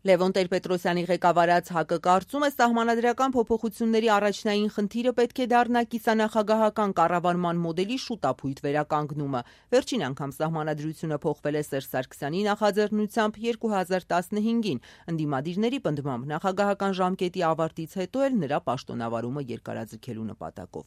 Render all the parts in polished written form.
Լևոն Տեր-Պետրոսյանի ղեկավարած ՀԱԿ-ը կարծում է սահմանադրական փոփոխությունների առաջնային խնդիրը պետք է դառնա կիսանախագահական կառավարման մոդելի շուտապույտ վերականգնումը։ Վերջին անգամ սահմանադրությունը փոխվել է Սերժ Սարգսյանի նախաձեռնությամբ 2015-ին։ Ընդդիմադիրների պնդմամբ նախագահական ժամկետի ավարտից հետո էլ նրա պաշտոնավարումը երկարաձգելու նպատակով։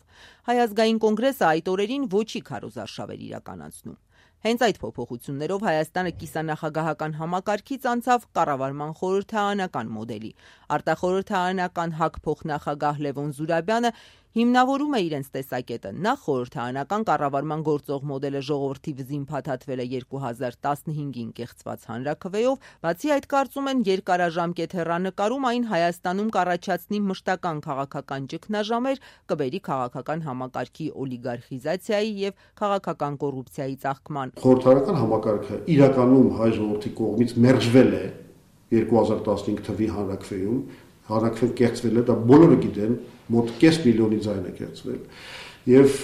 Հայ ազգային կոնգրեսը այդ օրերին ոչի քարոզարշավ էր իրականացնում։ Հենց այդ փոփոխություններով Հայաստանը կիսանախագահական համակարգից անցավ կառավարման խորհրդարանական մոդելի։ Արտախորհրդարանական ՀԱԿ փոխնախագահ Լևոն Զուրաբյանը հիմնավորում է իրենց տեսակետը։ Նախ խորհրդարանական կառավարման գործող մոդելը ժողովրդի վզին փաթաթվել է 2015-ին կեղծված հանրաքվեով, բացի այդ կարծում են երկարաժամկետ հեռանկարում այն Հայաստանում կառաջացնի մշտական քաղաքական ճգնաժամեր, կբերի քաղաքական համակարգի օլիգարխիզացիայի եւ քաղաքական կոռուպցիայի ծաղկման։ Խորհրդարանական համակարգը իրականում հայ ժողովրդի կողմից մերժվել է 2015 թվականի հանրաքվեում, հանրաքվեն կեղծվել է, դա բոլորը գիտեն, մոտ կես միլիոնի ձայն է կեղծվել, եւ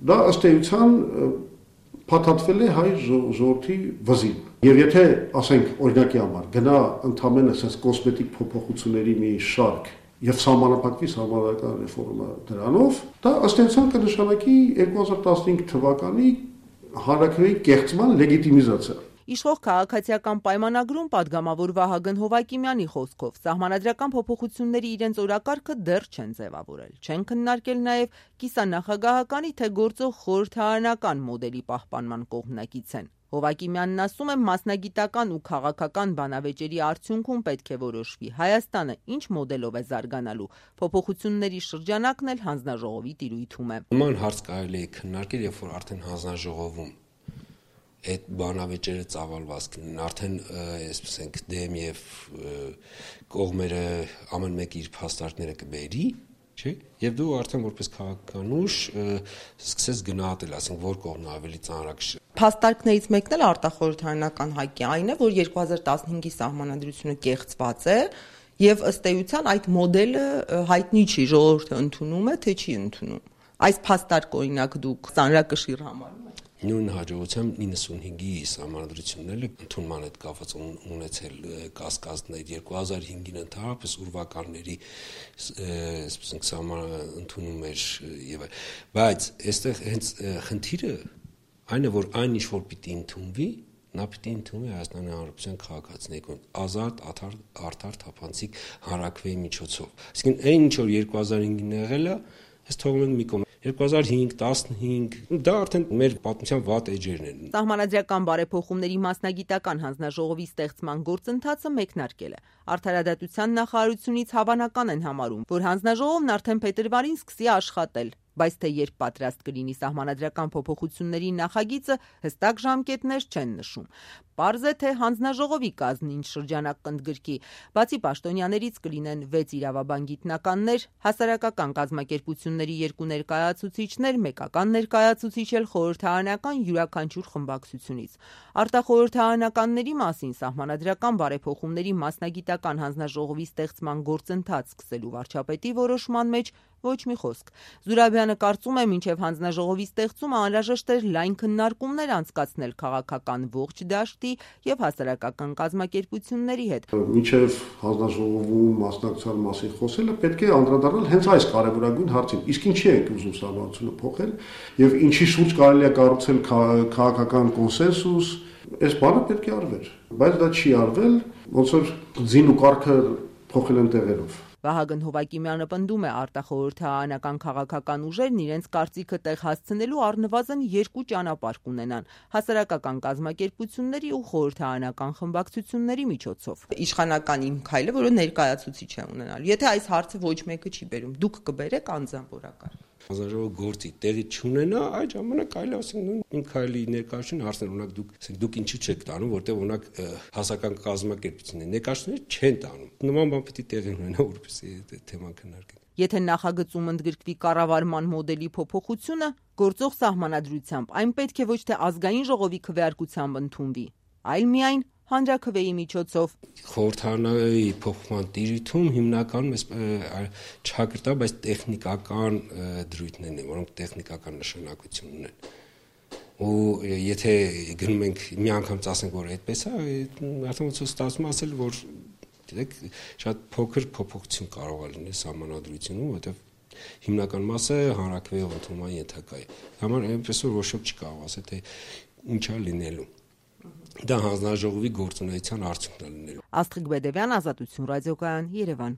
դա ըստ էության փաթաթվել է հայ ժողովրդի վզին։ Եվ եթե, ասենք, օրինակի համար գնա ընդամենը ասես կոսմետիկ փոփոխությունների մի շարք եւ սահմանափակվի սահմանադրական ռեֆորմը դրանով, դա ըստ էության կնշանակի 2015 թվականի հանրաքվեի կեղծման լեգիտիմիզացիա։ Իշխող քաղաքացիական պայմանագրում падգամավոր Վահագն Հովակիմյանի խոսքով սահմանադրական փոփոխությունների իրենց օրակարգը դեռ չեն ձևավորել, չեն քննարկել նաև կիսանախագահականի թե գործող խորհրդարանական մոդելի պահպանման կողմնակից են։ Հովակիմյանն ասում է, մասնագիտական ու քաղաքական բանավեճերի արդյունքում պետք է որոշվի Հայաստանը ինչ մոդելով է զարգանալու։ Փոփոխությունների շրջանակն էլ հանձնաժողովի տիրույթում է։ Նման հարց կարելի է քննարկել, երբ որ արդեն հանձնաժողովում այդ բանավեճերը ծավալված կլինեն, արդեն այսպես ենք դեմ եւ կողմերը ամեն մեկը իր փաստարկները կբերի, չէ՞, եւ դու արդեն որպես քաղաքական ուժ սկսես գնահատել, ասենք, որ կողմն ավելի ծանրակշիռ։ Փաստարկներից մեկն էլ արտախորհրդարանական ՀԱԿ-ի այն է, որ 2015-ի սահմանադրությունը կեղծված է եւ ըստ էության այդ մոդելը հայտնի չի, ժողովուրդը ընդունում է, թե չի ընդունում։ Այս փաստարկ օրինակ դուք ծանրակշիռ համարում եք։ Նույն հաջողությամբ 95-ի սահմանադրությունն էլ ընդունման հետ կապված ունեցել կասկածներ 2005-ին ընդհանրապես ուրվականների այսպես ենք սահմանընդունում էր եւ բայց այստեղ հենց խնդիրը այն է որ այն ինչ որ պիտի ընդունվի նա պիտի ընդունվի Հայաստանի Հանրապետության քաղաքացիների կողմից ազատ, արդար, թափանցիկ հանրաքվեի միջոցով։ Այսինքն այն ինչ որ 2005-ին եղել է, այս թողնում ենք մի կողմ 2005-15 դա արդեն մեր պատմության վատ էջերն են։ Սահմանադրական բարեփոխումների մասնագիտական հանձնաժողովի ստեղծման գործընթացը մեկնարկել է։ Արդարադատության նախարարությունից հավանական են համարում, որ հանձնաժողովն արդեն փետրվարին սկսի աշխատել, բայց թե երբ պատրաստ կլինի սահմանադրական փոփոխությունների նախագիծը հստակ ժամկետներ չեն նշում։ Պարզ է, թե հանձնաժողովի կազմն ինչ շրջանակ կընդգրկի, բացի պաշտոնյաներից կլինեն 6 իրավաբան գիտնականներ, հասարակական կազմակերպությունների 2 ներկայացուցիչներ, մեկական ներկայացուցիչ էլ խորհրդարանական յուրաքանչյուր խմբակցությունից։ Արտախորհրդարանականների մասին սահմանադրական բարեփոխումների մասնագիտական հանձնաժողովի ստեղծման գործընթաց սկսելու վարչապետի որոշման մեջ ոչ մի խոսք։ Զուրաբյանը կարծում է, մինչև հանձնաժողովի ստեղծումը անհրաժեշտ էր լայն քննարկումներ անցկացնել քաղաքական ողջ դաշտի եւ հասարակական կազմակերպությունների հետ։ Մինչև հանձնաժողովում մասնակցության մասին խոսելը պետք է անդրադառնալ հենց այս կարևորագույն հարցին։ Իսկ ինչի է ուզում սահմանությունը փոխել եւ ինչի շուրջ կարելի է կառուցել քաղաքական կոնսենսուս, այս բանը պետք է արվեր, բայց դա չի արվել, ոնց որ ձին ու կարգը փոխել են տեղերով։ Վահագն Հովակիմյանը պնդում է արտախորհրդարանական քաղաքական ուժերն իրենց կարծիքը տեղ հասցնելու առնվազն 2 ճանապարհ կունենան՝ հասարակական կազմակերպությունների ու խորհրդարանական խմբակցությունների միջոցով։ Իշխանական իմ քայլը, որը ներկայացուցիչ է ունենալու։ Եթե այս հարցը ոչ մեկը չի բերում, դուք կբերեք անձամբ օրակարգ։ Հանձնաժողովը գործի տեղի չունենա, այդ ժամանակ կարելի ասենք իմ քայլի ներկայացուցիչ հարցներ ունակ դուք ինչու չեք տանում, որտեղ ունակ հասարակական կազմակերպություններ ներկայացուցիչներ չեն տանում։ Նման բան պիտի տեղի ունենա, որպեսզի թեման քննարկենք։ Եթե նախագծում ընդգրկվի կառավարման մոդելի փոփոխությունը, գործող սահմանադրությամբ այն պետք է ոչ թե ազգային ժողովի քվեարկությամբ ընդունվի, այլ միայն հանրաքվեի միջոցով։ Խորհրդարանայի փոխման տիրույթում հիմնականում չհակրտա, բայց տեխնիկական դրույթներն են, որոնք տեխնիկական նշանակություն ունեն։ ու եթե գնում ենք մի անգամ ասենք որ այդպես է, արդեն ոնց ստացվում ասել որ դեք շատ փոքր փոփոխություն կարող է լինել սահմանադրությունում, որովհետև հիմնական մասը հանրակրվեի ընդունման ենթակա է։ Համար այնպես որ ոչ ոք չկարող ասել թե ինչ է լինելու։ Դա հանձնաժողովի գործունեության արդյունքն է լինելու։ Աստղիկ Բեդևյան, Ազատություն ռադիոկայան, Երևան։